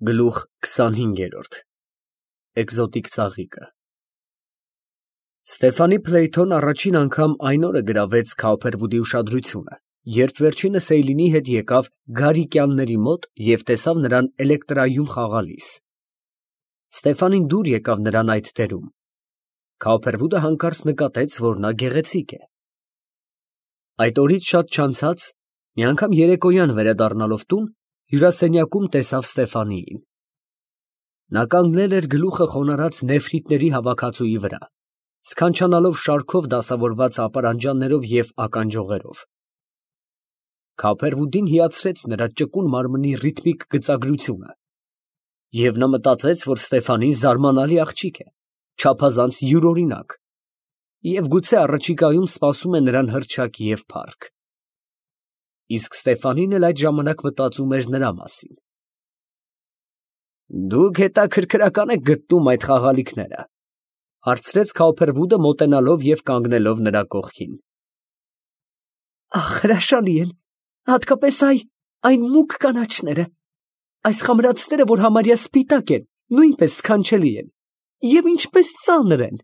Գլուխ 25 Էկզոտիկ ծաղիկը Ստեֆանի Փլեյթոն առաջին անգամ այն օրը գրավեց Քաուփերվուդի ուշադրությունը, երբ վերջինս Էյլինի հետ եկավ Գարիկյանների մոտ և տեսավ նրան էլեկտրայում խաղալիս։ Ստեֆանին դուր եկավ նրան այդ դերում։ Քաուփերվուդը հանկարծ նկատեց, որ նա գեղեցիկ է։ Այդ օրից շատ չանցած, մի անգամ երեկոյան վերադառնալով տուն, հյուրասենյակում տեսավ Ստեֆանիին։ Նա կանգնել էր գլուխը խոնարհած նեֆրիտների հավաքածուի վրա, սքանչանալով շարքով դասավորված ապարանջաններով և ականջողերով։ Քաուփերվուդին հիացրեց նրա ճկուն մարմնի ռիթմիկ գծագրությունը, և նա մտածեց, որ Ստեֆանին զարմանալի աղջիկ է, չափազանց յուրօրինակ, և գուցե առաջիկայում սպասում է նրան հռչակ և փառք։ Իսկ Ստեֆանին էլ այդ ժամանակ մտածում էր նրա մասին։ «Դուք հետաքրքրական եք գտնում այդ խաղալիքները, ֊ հարցրեց Քաուփերվուդը մոտենալով և կանգնելով նրա կողքին։ ֊ Ահ, հրաշալի են, հատկապես այն մուգ կանաչները, այս խմրածները, որ համարյա սպիտակ են, նույնպես սքանչելի են, և ինչպես ծանր են։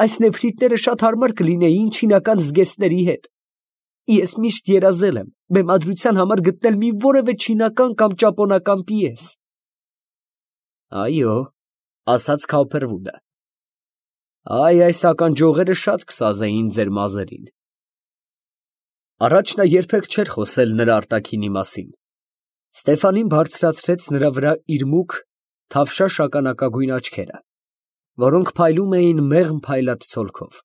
Այս նեֆրիտները շատ հարմար կլինեին չինական զգեստների հետ։ Ես միշտ երազել եմ բեմադրության համար գտնել մի որևէ չինական կամ ճապոնական պիես։ ֊ Այո, ֊ ասաց Քաուփերվուդը, այս ականջողերը շատ կսազեին ձեր մազերին։ Առաջ նա երբեք չէր խոսել նրա արտաքինի մասին։ Ստեֆանին բարձրացրեց նրա վրա իր մուգ, թավշյա շագանակագույն աչքերը, որոնք փայլում էին մեղմ փայլած ցոլքով,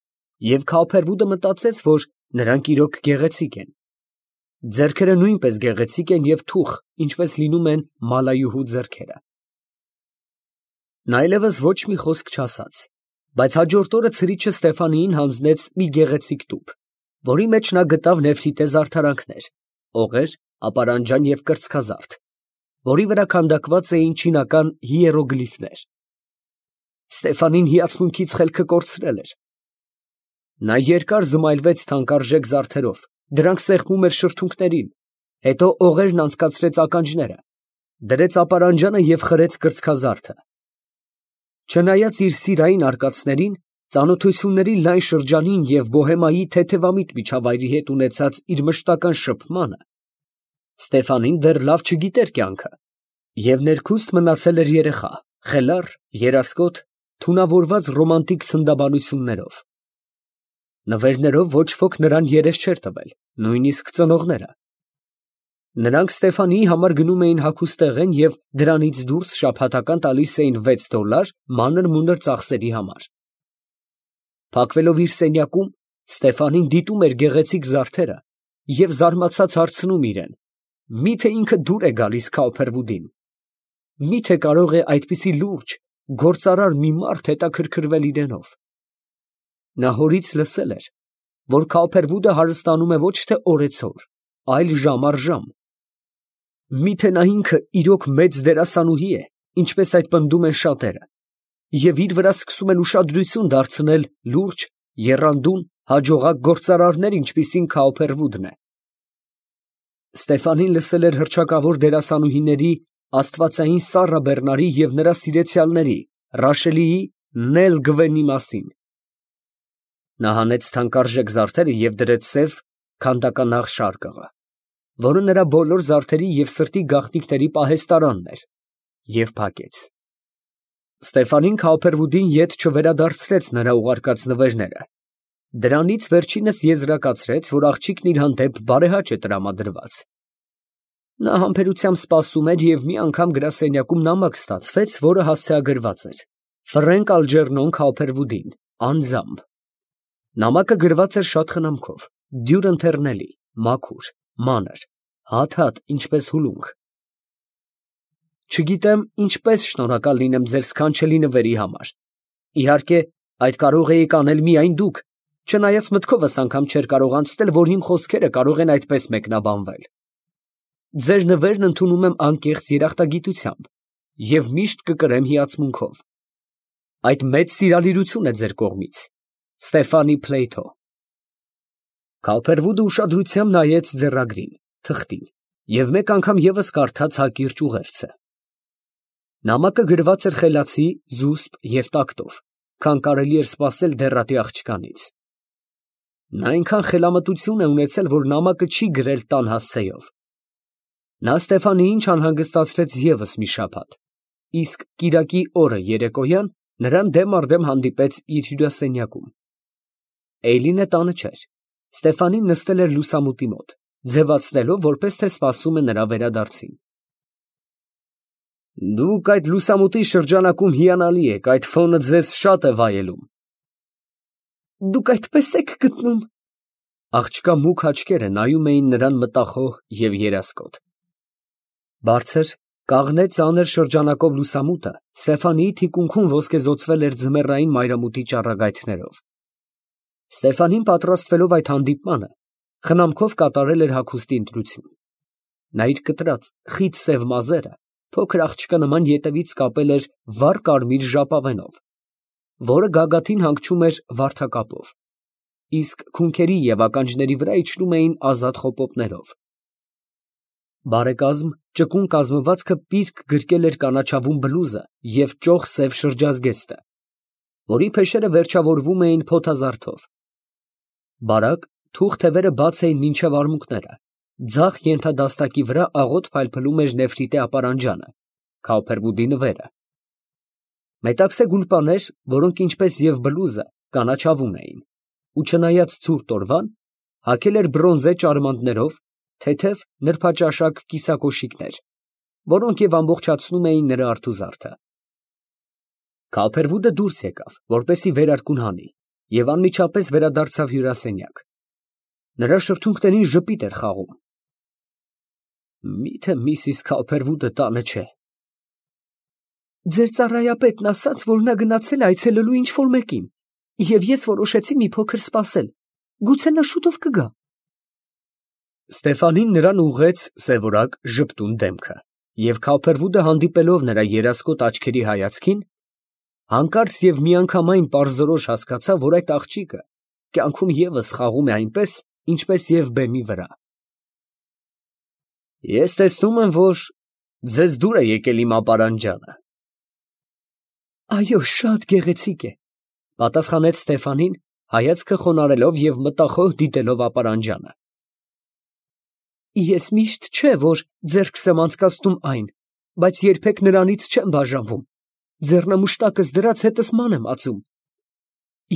և Քաուփերվուդը մտածեց, որ նրանք իրոք գեղեցիկ են։ Ձեռքերը նույնպես գեղեցիկ են և թուխ, ինչպես լինում են մալայուհու ձեռքերը։ Նա այլևս ոչ մի խոսք չասաց, բայց հաջորդ օրը ցրիչը Ստեֆանիին հանձնեց մի գեղեցիկ տուփ, որի մեջ նա գտավ նեֆրիտե զարդարանքներ, օղեր, ապարանջան և կրծքազարդ, որի վրա քանդակված էին չինական հիերոգլիֆներ։ Ստեֆանին հիացմունքից խելքը կորցրել էր։ Նա երկար զմայլվեց թանկարժեք զարդերով, դրանք սեղմում էր շրթունքներին, հետո օղերն անցկացրեց ականջները, դրեց ապարանջանը և խրեց կրծքազարդը։ Չնայած իր սիրային արկածներին, ծանոթությունների լայն շրջանին և բոհեմայի թեթևամիտ միջավայրի հետ ունեցած իր մշտական շփմանը, Ստեֆանին դեռ լավ չգիտեր կյանքը և ներքուստ մնացել էր երեխա, խելառ, երասկոտ, թունավորված ռոմանտիկ սննդաբանություններով։ Նվերներով ոչ ոք նրան երես չէր տվել, նույնիսկ ծնողները։ Նրանք Ստեֆանիի համար գնում էին հագուստեղեն և դրանից դուրս շաբաթական տալիս էին $6 մանր֊մունր ծախսերի համար։ Փակվելով իր սենյակում, Ստեֆանին դիտում էր գեղեցիկ զարդերը և զարմացած հարցնում իրեն. միթե ինքը դուր է գալիս Քաուփերվուդին։ Միթե կարող է այդպիսի լուրջ, գործարար մի մարդ հետաքրքրվել իրենով։ Նա հորից լսել էր, որ Քաուփերվուդը հարստանում է ոչ թե օրեցօր, այլ ժամ առ ժամ։ Միթե նա ինքը իրոք մեծ դերասանուհի է, ինչպես այդ պնդում են շատերը, և իր վրա սկսում են ուշադրություն դարձնել լուրջ, եռանդուն, հաջողակ գործարարներ, ինչպիսին Քաուփերվուդն է։ Ստեֆանին լսել էր հռչակավոր դերասանուհիների աստվածային Սառա Բեռնարի և նրա սիրեցյալների Ռաշելիի, Նել Գվենի մասին։ Նա հանեց թանկարժեք զարդերը և դրեց սև քանդականաղ շարկղը, որը նրա բոլոր զարդերի և սրտի գաղտնիքների պահեստարանն էր, և փակեց։ Ստեֆանին Քաուփերվուդին ետ չվերադարձրեց նրա ուղարկած նվերները։ Դրանից վերջինս եզրակացրեց, որ աղջիկն իր հանդեպ բարեհաճ է տրամադրված։ Նա համբերությամբ սպասում էր և մի անգամ գրասենյակում նամակ ստացվեց, որը հասցեագրված էր. Ֆրենկ Ալջերնոն Քաուփերվուդին, անձամբ։ Նամակը գրված էր շատ խնամքով, դյուրն ընթեռնելի, մաքուր, մանր, հատ, ինչպես հուլունք։ Չգիտեմ ինչպես շնորհակալ լինեմ ձեր սքանչելի նվերի համար։ Իհարկե, այդ կարող էիք անել միայն դուք, չնայած մտքովս անգամ չէր կարող անցնել, որ իմ խոսքերը կարող են այդպես մեկնաբանվել։ Ձեր նվերն ընդունում եմ անկեղծ երախտագիտությամբ և միշտ կկրեմ հիացմունքով։ Այդ մեծ սիրալիրություն է ձեր կողմից։ Ստեֆանի Փլեյթո։ Քաուփերվուդը ուշադրությամբ նայեց ձեռագրին, թղթին և մեկ անգամ ևս կարդաց հակիրճ ուղերձը։ Նամակը գրված էր խելացի, զուսպ և տակտով, քան կարելի էր սպասել դեռատի աղջկանից։ Նա այնքան խելամտություն է ունեցել, որ նամակը չի գրել տան հասցեով։ Նա Ստեֆանիին չանհանգստացրեց ևս մի շաբաթ, իսկ կիրակի օրը երեկոյան նրան դեմ առ դեմ հանդիպեց իր հյուրասենյակում։ Էյլինը տանը չէր։ Ստեֆանին նստել էր լուսամուտի մոտ, ձևացնելով, որպես թե սպասում է նրա վերադարձին։ Դուք այդ լուսամուտի շրջանակում հիանալի եք, այդ ֆոնը ձեզ շատ է վայելում։ Դուք այդպես եք գտնում։ Աղջկա մուգ աչքերը նայում էին նրան մտախոհ և երասկոտ։ Բարձր, կաղնե ծանր շրջանակով լուսամուտը Ստեֆանիի թիկունքում ոսկեզօծվել էր ձմեռային մայրամուտի ճառագայթներով։ Ստեֆանին պատրաստվելով այդ հանդիպմանը, խնամքով կատարել էր հագուստի ընտրություն։ Նա իր կտրած, խիտ սև մազերը փոքր աղջկա նման ետևից կապել էր վառ կարմիր ժապավենով, որը գագաթին հանգչում էր վարդակապով, իսկ քունքերի և ականջների վրա իջնում էին ազատ խոպոպներով։ Բարեկազմ, ճկուն կազմվածքը պիրկ գրկել էր կանաչավուն բլուզը և ճոխ սև շրջազգեստը, որի փեշերը վերջավորվում էին փոթազարդով։ Բարակ, թուխ թևերը բաց էին մինչև արմունկները, ձախ ենթադաստակի վրա աղոտ փայլփլում էր նեֆրիտե ապարանջանը, քաուփերվուդի նվերը։ Մետաքսե գուլպաներ, որոնք ինչպես և բլուզը կանաչավուն էին, ու չնայած ցուրտ օրվան, հագել էր բրոնզե ճարմանտներով, թեթև նրբաճաշակ կիսակոշիկներ, որոնք և ամբողջացնում էին նրա արթուզարդը։ Քաուփերվուդը դուրս եկավ, որպեսզի վերարկուն հանի, և անմիջապես վերադարձավ հյուրասենյակ։ Նրա շրթունքներին ժպիտ էր խաղում։ Միթե միսիս Քաուփերվուդը տանը չէ։ Ձեր ծառայապետն ասաց, որ նա գնացել է այցելելու ինչ֊որ մեկին, և ես որոշեցի մի փոքր սպասել, գուցե նա շուտով կգա։ Ստեֆանին նրան ուղղեց սևորակ ժպտուն դեմքը, և Քաուփերվուդը հանդիպելով նրա երասկոտ աչքերի հայացքին, հանկարծ և միանգամայն պարզորոշ հասկացավ, որ այդ աղջիկը կյանքում ևս խաղում է այնպես, ինչպես և բեմի վրա։ Ես տեսնում եմ, որ ձեզ դուր է եկել իմ ապարանջանը։ Այո, շատ գեղեցիկ է, պատասխանեց Ստեֆանին, հայացքը խոնարհելով և մտախոհ դիտելով ապարանջանը։ Ես միշտ չէ, որ ձեռքս եմ անցկացնում այն, բայց երբեք նրանից չեմ բաժանվում, ձեռնամուշտակս դրած հետս ման եմ ածում։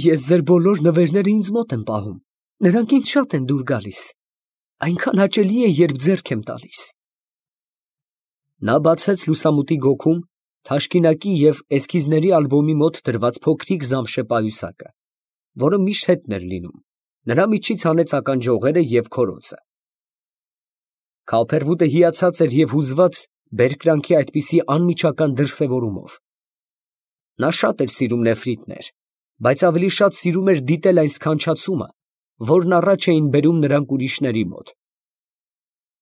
Ես ձեր բոլոր նվերները ինձ մոտ եմ պահում, նրանք ինձ շատ են դուր գալիս, այնքան հաճելի է, երբ ձեռք եմ տալիս։ Նա բացեց լուսամուտի գոգում թաշկինակի և էսքիզների ալբոմի մոտ դրված փոքրիկ զամշե պայուսակը, որը միշտ հետն էր լինում, նրա միջից հանեց ականջողերը և քորոցը։ Քաուփերվուդը հիացած էր և հուզված բերկրանքի այդպիսի անմիջական դրսևորումով։ Նա շատ էր սիրում նեֆրիտներ, բայց ավելի շատ սիրում էր դիտել այն սքանչացումը, որն առաջ էին բերում նրանք ուրիշների մոտ։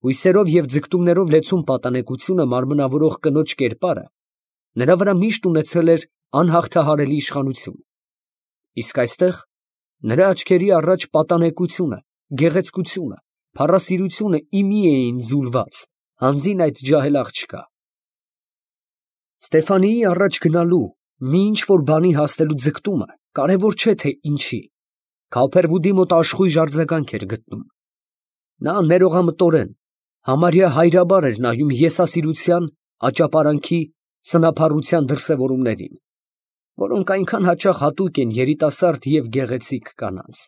Հույսերով և ձգտումներով լեցուն պատանեկությունը մարմնավորող կնոջ կերպարը նրա վրա միշտ ունեցել էր անհաղթահարելի իշխանություն, իսկ այստեղ նրա աչքերի առաջ պատանեկությունը, գեղեցկությունը, փառասիրությունը ի մի էին ձուլված, հանձին այդ ջահել աղջկա։ Ստեֆանիի առաջ գնալու, մի ինչ֊որ բանի հասնելու ձգտումը կարևոր չէ թե ինչի, Քաուփերվուդի մոտ աշխույժ արձագանք էր գտնում։ Նա ներողամտորեն, համարյա հայրաբար էր նայում եսասիրության, աճապարանքի, սնափառության դրսևորումներին, որոնք այնքան հաճախ հատուկ են երիտասարդ և գեղեցիկ կանանց։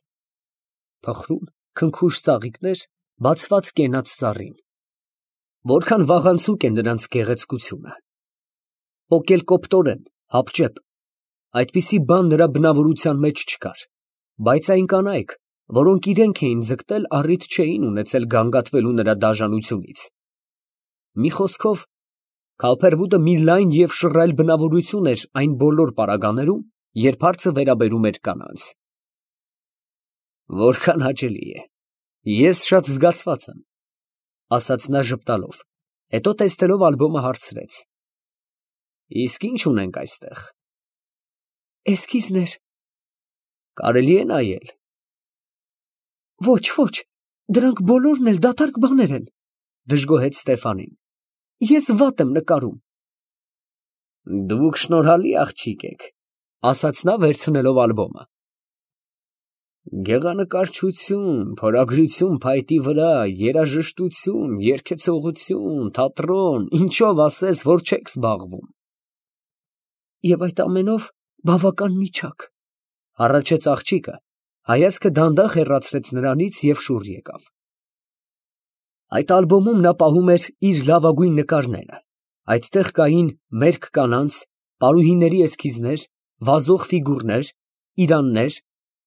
Փխրուն, քնքուշ ծաղիկներ, բացված կենաց ծառին։ Որքան վաղանցուկ է նրանց գեղեցկությունը։ Պոկելկոպտորեն, հապճեպ, այդպիսի բան նրա բնավորության մեջ չկար, բայց այն կանայք, որոնք իրենք էին ձգտել, առիթ չէին ունեցել գանգատվելու նրա դաժանությունից։ Մի խոսքով, Քաուփերվուդը մի լայն և շռայլ բնավորություն էր այն բոլոր պարագաներում, երբ հարցը վերաբերում էր կանանց։ Որքան հաճելի է, ես շատ զգացված եմ, ասաց նա ժպտալով, հետո տեսնելով ալբոմը հարցրեց. Իսկ ի՞նչ ունենք այստեղ։ Էսքիզներ։ Կարելի է նայել։ Ոչ, ոչ, դրանք բոլորն էլ դատարկ բաներ են, դժգոհեց Ստեֆանին։ Ես վատ եմ նկարում։ Դուք շնորհալի աղջիկ եք, ասաց նա վերցնելով ալբոմը։ Գեղանկարչություն, փորագրություն փայտի վրա, երաժշտություն, երգեցողություն, թատրոն, ինչով ասես, որ չեք զբաղվում։ Եվ այդ ամենով բավական միջակ, հառաչեց աղջիկը, հայացքը դանդաղ հեռացրեց նրանից և շուռ եկավ։ Այդ ալբոմում նա պահում էր իր լավագույն նկարները, այդտեղ կային մերկ կանանց, պարուհիների էսքիզներ, վազող ֆիգուրներ, իրաններ,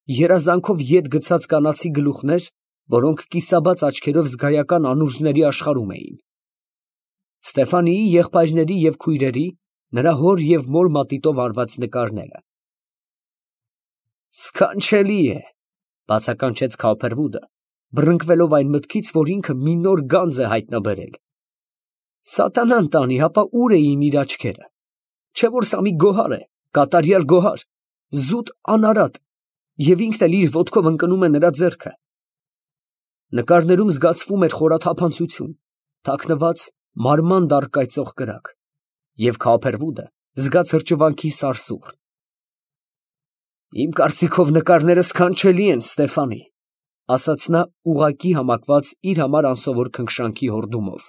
երազանքով ետ գցած կանացի գլուխներ, որոնք կիսաբաց աչքերով զգայական անուրջների աշխարհում էին։ Ստեֆանիի եղբայրների և քույրերի, նրա հոր և մոր մատիտով արված նկարները։ Սքանչելի է, բացականչեց Քոփերվուդը, բռնկվելով այն մտքից, որ ինքը մի նոր գանձ է հայտնաբերել։ Սատանան տանի, հապա ուր էին իր աչքերը։ Չէ որ սա մի գոհար է, կատարյալ գոհար, զուտ անարատ, և ինքն էլ իր ոտքով ընկնում է նրա ձեռքը։ Նկարներում զգացվում էր խորաթափանցություն, թաքնված մարմանդ առկայծող կրակ, և Քոփերվուդը զգաց հրճվանքի սարսուռ։ Իմ կարծիքով նկարները սքանչելի են, Ստեֆանի, ասաց նա ուղղակի համակված իր համար անսովոր քնքշանքի հորդումով։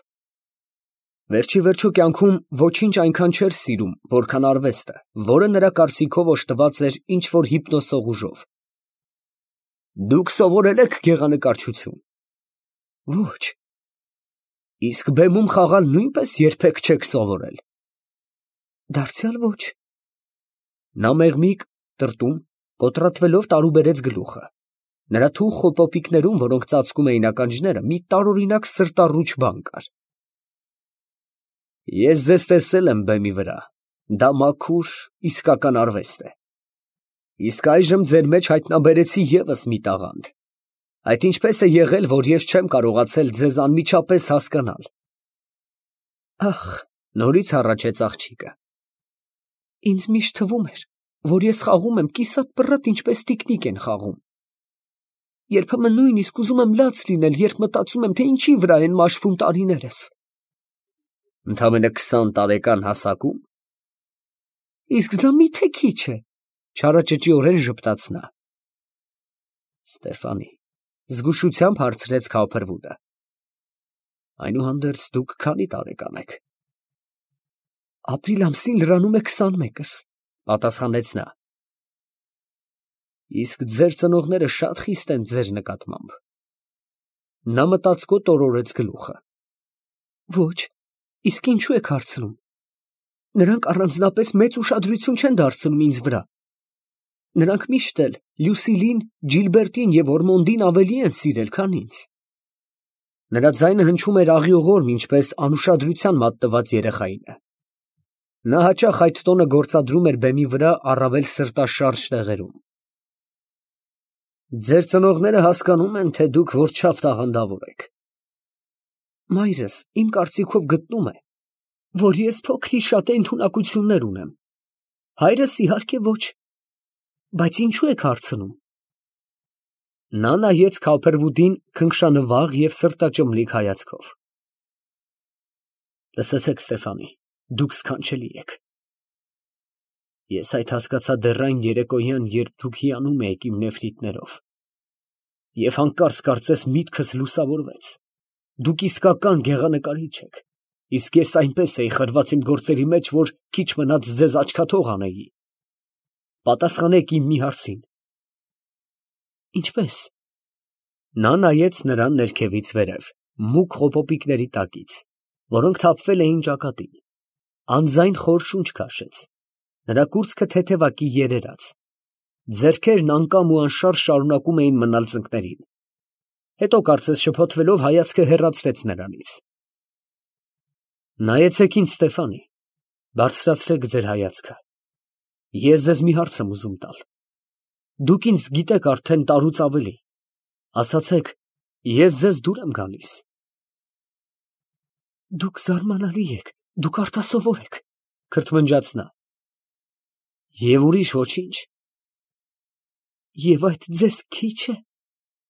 Վերջի վերջո կյանքում ոչինչ այնքան չէր սիրում, որքան արվեստը, որը նրա կարծիքով օժտված էր ինչ-որ հիպնոսող ուժով։ Դուք սովորել եք գեղանկարչություն։ Ոչ։ Իսկ բեմում խաղալ նույնպես երբեք չեք սովորել։ Դարձյալ ոչ։ Նա մեղմիկ տրտում, կոտրատվելով տարուբերեց գլուխը։ Նրա թուխ խոպոպիկներում, որոնք ծածկում էին ականջները, մի տարօրինակ սրտառուչ բան կար։ Ես ձեզ տեսել եմ բեմի վրա, դա մաքուր, իսկական արվեստ է։ Իսկ այժմ ձեր մեջ հայտնաբերեցի ևս մի տաղանդ։ Այդ ինչպես է եղել, որ ես չեմ կարողացել ձեզ անմիջապես հասկանալ։ Ախ, նորից հառաչեց աղջիկը։ Ինձ միշտ թվում էր, որ ես խաղում եմ կիսատ-պռատ, ինչպես տիկնիկ են խաղում։ Երբեմն նույնիսկ ուզում եմ լաց լինել, երբ մտածում եմ, թե ինչի վրա են մաշվում տարիներս։ Ընդամենը 20 տարեկան հասակում։ Իսկ դա մի՞թե քիչ է, չարաճճիորեն ժպտաց նա։ Ստեֆանի, զգուշությամբ հարցրեց Քոփերվուդը։ Այնուհանդերձ դուք քանի տարեկան եք։ Ապրիլ ամսին լրանում է 21-ս, պատասխանեց նա։ Իսկ ձեր ծնողները շատ խիստ են ձեր նկատմամբ։ Նա մտածկոտ օրորեց գլուխը։ Ոչ, իսկ ինչու եք հարցնում։ Նրանք առանձնապես մեծ ուշադրություն չեն դարձնում ինձ վրա։ Նրանք միշտ էլ Լյուսիլին, Ջիլբերտին և Օրմոնդին ավելի են սիրել, քան ինձ։ Նրա ձայնը հնչում էր աղիողորմ, ինչպես անուշադրության մատնված երեխայինը։ Նա հաճախ այդ տոնը գործադրում էր բեմի վրա առավել սրտաշարժ տեղերում։ Ձեր ծնողները հասկանում են, թե դուք որչափ տաղանդավոր եք։ Մայրս իմ կարծիքով գտնում է, որ ես փոքր-շատ ընդունակություններ ունեմ։ Հայրս իհարկե ոչ։ Բայց ինչու եք հարցնում։ Նա նայեց Քոփերվուդին քնքշանվաղ և սրտաճմլիկ հայացքով։ Լսեցեք, Ստեֆանի, դուք սքանչելի եք։ Ես այդ հասկացա դեռ այն երեկոյան, երբ դուք հիանում էիք իմ նեֆրիտներով։ Եվ հանկարծ կարծես միտքս լուսավորվեց։ Դուք իսկական գեղանկարիչ եք, իսկ ես այնպես էի խրված իմ գործերի մեջ, որ քիչ մնաց ձեզ աչքաթող անեի։ Պատասխանեք իմ մի հարցին։ Ինչպես։ Նա նայեց նրան ներքևից վերև, մուգ խոպոպիկների տակից, որոնք թափվել էին ճակատին, անձայն խոր շունչ քաշեց, նրա կուրծքը թեթևակի երերաց, ձեռքերն անկամ ու անշարժ շարունակում էին մնալ ծնկներին, հետո կարծես շփոթվելով հայացքը հեռացրեց նրանից։ Նայեցեք ինձ, Ստեֆանի, բարձրացրեք ձեր հայացքը, ես ձեզ մի հարց եմ ուզում տալ, դուք ինձ գիտեք արդեն տարուց ավելի, ասացեք, ես ձեզ դուր եմ գալիս։ Դուք զարմանալի եք, դուք արտասովոր եք, քրթմնջաց նա։ Եվ ուրիշ ոչինչ։ Եվ այդ ձեզ քիչ է։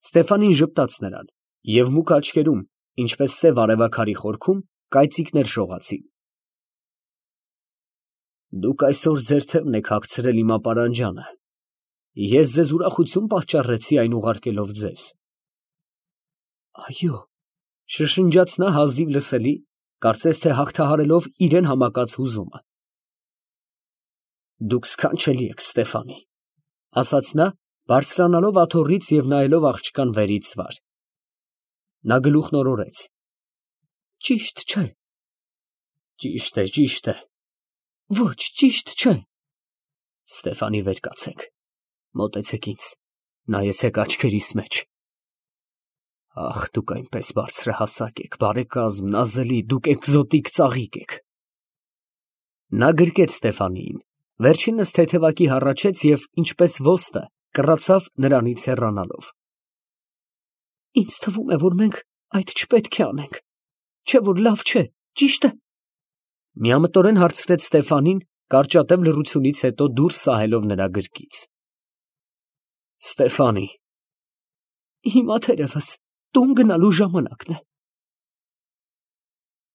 Ստեֆանին ժպտաց նրան, և մուգ աչքերում, ինչպես սև արևաքարի խորքում, կայծիկներ շողացին։ Դուք այսօր ձեր թևն եք հագցրել իմ ապարանջանը, ես ձեզ ուրախություն պատճառեցի այն ուղարկելով ձեզ։ Այո, շշնջաց նա հազիվ լսելի, կարծես թե հաղթահարելով իրան համակած հուզումը։ Դուք սքանչելի եք, Ստեֆանի, ասաց նա, բարձրանալով աթոռից և նայելով աղջկան վերից վար։ Նա գլուխն օրորեց։ Ճիշտ չէ։ Ճիշտ է, ճիշտ է։ Ոչ, ճիշտ չէ։ Ստեֆանի, վեր կացեք, մոտեցեք ինձ, նայեցեք աչքերիս մեջ։ Ախ, դուք այնպես բարձրահասակ եք, բարեկազմ, նազելի, դուք էկզոտիկ ծաղիկ եք։ Նա գրկեց Ստեֆանիին, վերջինս թեթևակի հառաչեց և, ինչպես ոստը, կռացավ նրանից հեռանալով։ Ինձ թվում է, որ մենք այդ չպետք է անենք, չէ՞ որ լավ չէ, ճիշտ է։ Միամտորեն հարցրեց Ստեֆանին, կարճատև լռությունից հետո դուրս սահելով նրա գրկից։ Ստեֆանի։ Հիմա թերևս տուն գնալու ժամանակն է։